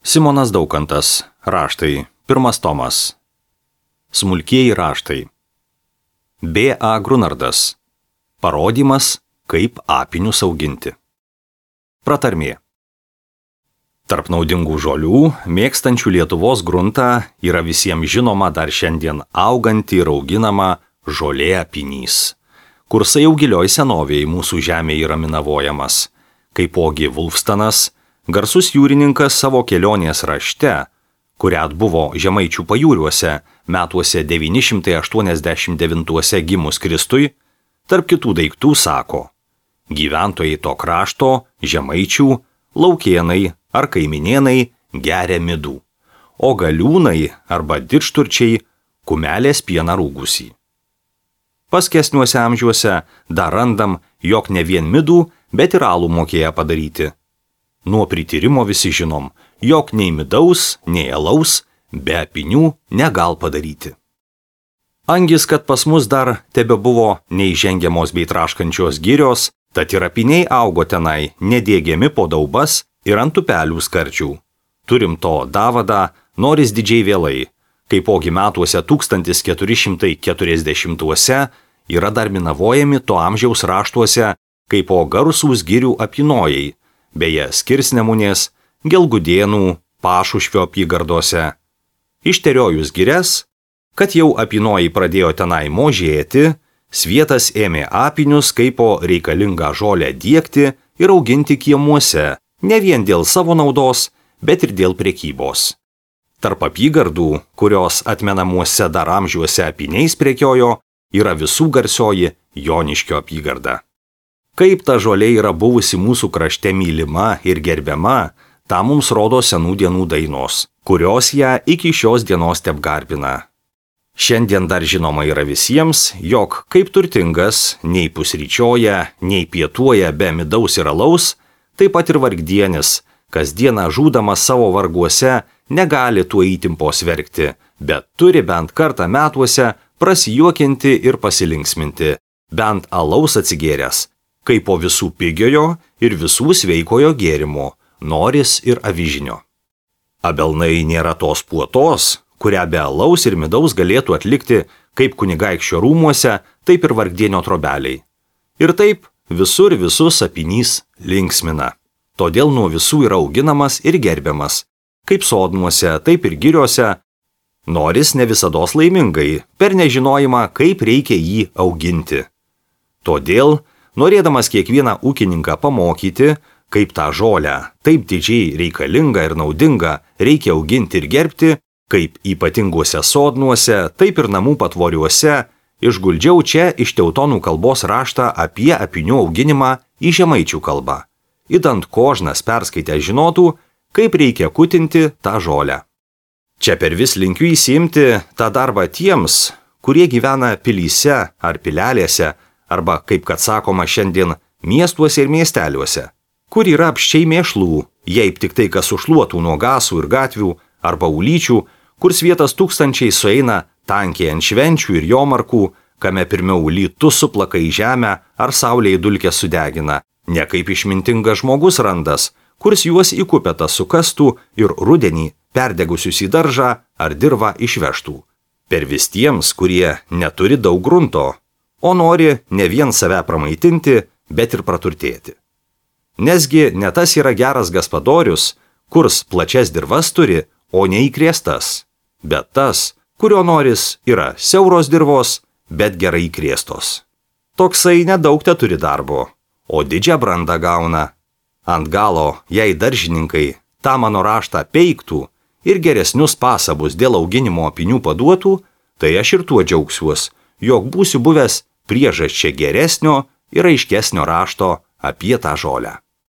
Simonas Daukantas. Raštai. 1 tomas. Smulkieji raštai. B.A. Grunardas. Parodymas, kaip apinius auginti. Pratarmė. Tarp naudingų žolių, mėgstančių Lietuvos gruntą, yra visiems žinoma dar šiandien auganti ir auginama žolė apinys, kursai jau gilioj senovėje mūsų žemėje yra minavojamas. Kaipogi Vulfstanas, garsus jūrininkas savo kelionės rašte, kurią atbuvo Žemaičių pajūriuose metuose 989 gimus Kristui, tarp kitų daiktų sako: gyventojai to krašto, Žemaičių, laukėnai ar kaiminėnai geria midų, o galiūnai arba didžturčiai kumelės pieną rūgusį. Paskesniuose amžiuose dar randam, jog ne vien midų, bet ir alų mokėja padaryti. Nuo prityrimo visi žinom, jog nei midaus, nei alaus be apinių negal padaryti. Angis, kad pas mus dar tebebuvo neįžengiamos bei traškančios girios, tad ir apiniai augo tenai, nedėgiami po daubas ir ant upelių skardžių. Turim to davadą, noris didžiai vėlai, kaipogi metuose 1440-uose yra dar minavojami to amžiaus raštuose kaipo garsūs girių apynojai, beje Skirsnemunės, Gelgudėnų, Pašušvio apygardose. Išteriojus girias, kad jau apynojai pradėjo tenai možėti, svietas ėmė apinius kaipo reikalingą žolę diegti ir auginti kiemuose, ne vien dėl savo naudos, bet ir dėl prekybos. Tarp apygardų, kurios atmenamuose dar amžiuose apiniais prekiojo, yra visų garsioji Joniškio apygarda. Kaip ta žolė yra buvusi mūsų krašte mylima ir gerbiama, tą mums rodo senų dienų dainos, kurios ją iki šios dienos tebgarbina. Šiandien dar žinoma yra visiems, jog kaip turtingas nei pusryčioja, nei pietuoja be midaus ir alaus, taip pat ir vargdienis, kasdieną žūdamas savo varguose, negali tuo įtimpos verkti, bet turi bent kartą metuose prasijuokinti ir pasilinksminti, bent alaus atsigėręs, kaip po visų pigiojo ir visų sveikojo gėrimo, noris ir avižinio. Abelnai nėra tos puotos, kurią be alaus ir midaus galėtų atlikti kaip kunigaikščio rūmuose, taip ir vargdienio trobeliai. Ir taip visur visus apinys linksmina. Todėl nuo visų yra auginamas ir gerbiamas, kaip sodnuose, taip ir giriuose. Noris ne visados laimingai, per nežinojimą, kaip reikia jį auginti. Todėl, norėdamas kiekvieną ūkininką pamokyti, kaip tą žolę, taip didžiai reikalingą ir naudingą reikia auginti ir gerbti, kaip ypatinguose sodnuose, taip ir namų patvoriuose, išguldžiau čia iš teutonų kalbos raštą apie apinių auginimą į žemaičių kalbą. Idant kožnas perskaitę žinotų, kaip reikia kutinti tą žolę. Čia per vis linkiu įsiimti tą darbą tiems, kurie gyvena pilyse ar pilelėse, arba, kaip kad sakoma šiandien, miestuose ir miesteliuose, kur yra apščiai mėšlų, jei tik tai kas užšluotų nuo gasų ir gatvių, arba ulyčių, kur svietas tūkstančiai sueina tankiai ant švenčių ir jomarkų, kame pirmiau lytus suplaka į žemę ar saulėje dulkės sudegina, ne kaip išmintingas žmogus randas, kurs juos į kupetą sukastų ir rudenį perdegusius į daržą ar dirvą išvežtų. Per vis tiems, kurie neturi daug grunto, o nori ne vien save pramaitinti, bet ir praturtėti. Nesgi ne tas yra geras gaspadorius, kurs plačias dirvas turi, o neįkrėstas, bet tas, kurio noris yra siauros dirvos, bet gerai įkrėstos. Toksai nedaug te turi darbo, o didžią brandą gauna. Ant galo, jei daržininkai tą mano raštą peiktų ir geresnius pasabus dėl auginimo apinių paduotų, tai aš ir tuo džiaugsiuos, jog būsiu buvęs priežasčia geresnio ir aiškesnio rašto apie tą žolę.